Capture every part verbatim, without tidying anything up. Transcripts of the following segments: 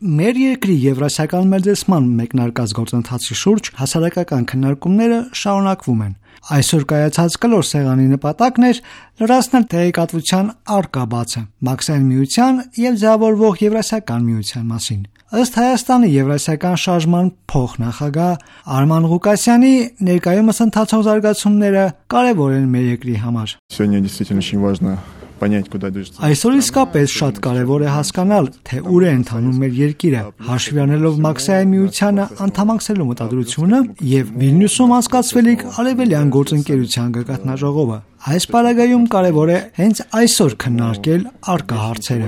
Մեր երկրի եվրասիական մերձեցման մեկնարկած գործընթացի շուրջ հասարակական քննարկումները շարունակվում են։ Այսօր կայացած կլոր սեղանի նպատակն էր լրացնել տեղեկատվության առկա բացը Մաքսային միության եւ ձևավորվող Եվրասիական միության մասին։ Ըստ Հայաստանի Եվրասիական շարժման փոխնախագահ Արման Ղուկասյանի, ներկայումս ընթացող զարգացումները կարևոր են մեր երկրի համար։ Այսօր իսկապես շատ կարևոր է հասկանալ, թե ուր է ընթանում մեր երկիրը, հաշվի առնելով Մաքսային միությանը անդամակցելու մտադրությունը եւ Վիլնյուսում անցկացվելիք արևելյան գործընկերության գագաթնաժողովը։ Այս պարագայում կարևոր է հենց այսօր քննարկել առկա հարցերը։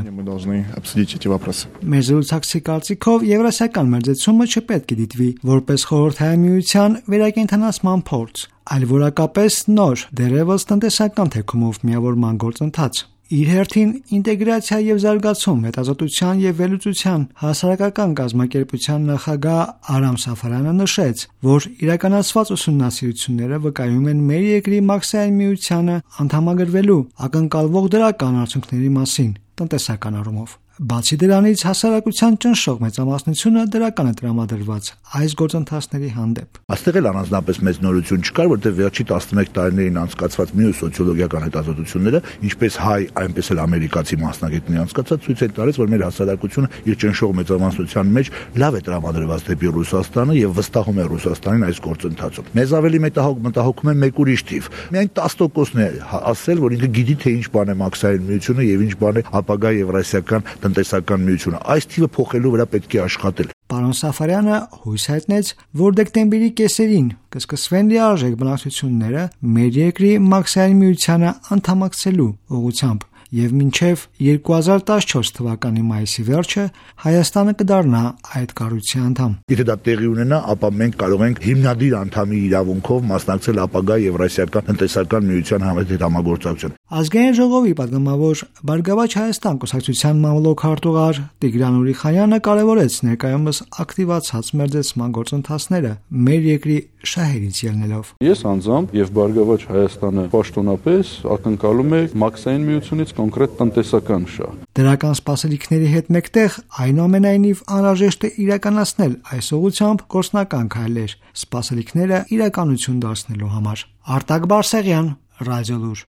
Մեր զրուցակցի կարծիքով Եվրասիական մերձեցումը չպետք է դիտվի որպես խորհրդային միության վերակենդանացման փորձ, այլ որակապես նոր, դեռևս տնտեսական թեքումով միավորման գործընթաց։ Իր հերթին ինտեգրացիա եւ զարգացում հետազոտության եւ վերլուծության հասարակական կազմակերպության նախագահ Արամ Սաֆարյանը նշեց, որ իրականացված ուսումնասիրությունները վկայում են մեր երկրի Մաքսային միությանը անդամագրվելու ակնկալվող դրական արդյունքների մասին տնտեսական առումով։ Բացի դրանից, հասարակության ճնշող մեծամասնությունը դրական է տրամադրված այս գործընթացների հանդեպ։ Այստեղ էլ առանձնապես մեծ նորություն չկար, որտեղ վերջի տասնմեկ տարիներին անցկացված մյուս սոցիոլոգիական հետազոտությունները, ինչպես հայ, այնպես էլ ամերիկացի մասնագետների անցկացած, ցույց են տալիս, որ մեր հասարակությունը իր ճնշող մեծամասնության մեջ լավ է տրամադրված դեպի Ռուսաստանը եւ վստահում է Ռուսաստանին այս գործընթացում։ Մեզ ավելի մտահոգ մտահոգում է մեկ ուրիշ թիվ։ Միայն տասը տոկոսն է ասել, որ ինքը գիտի թե ինչ բան է Մաքսային միությունը եւ ինչ բան է ապագա Եվրասիական տնտեսական միությունը։ Այս թիվը փոխելու վրա պետք է աշխատել։ Պարոն Սաֆարյանը հույս հայտնեց, որ դեկտեմբերի կեսերին կսկսվեն լիարժեք բանակցությունները մեր երկրի Մաքսային միությանը անդամակցելու ուղղությամբ եւ մինչեւ երկու հազար տասնչորս թվականի մայիսի վերջը Հայաստանը կդառնա այդ կառույցի անդամ։ Եթե դա տեղի ունենա, ապա մենք կարող ենք հիմնադիր անդամի իրավունքով մասնակցել ապագա Եվրասիական տնտեսական միության հետ համագործակցության։ Ազգային ժողովի պատգամավոր Բարգավաճ Հայաստան կուսակցության մամլոք հարտուղար Տիգրան Ուրիխանյանը կարևորեց ներկայումս ակտիվացած մերձեցման գործընթացները մեր երկրի շահերից ելնելով։ Ես անձամբ եւ Բարգավաճ Հայաստանը պաշտոնապես ակնկալում է Մաքսային միությունից կոնկրետ տնտեսական շահ։ Դրական սպասելիքների հետ մեկտեղ այնուամենայնիվ անհրաժեշտ է իրականացնել այս ուղղությամբ գործնական քայլեր, սպասելիքները իրականություն դարձնելու համար։ Արտակ Բարսեղյան, Ռադիոլուր։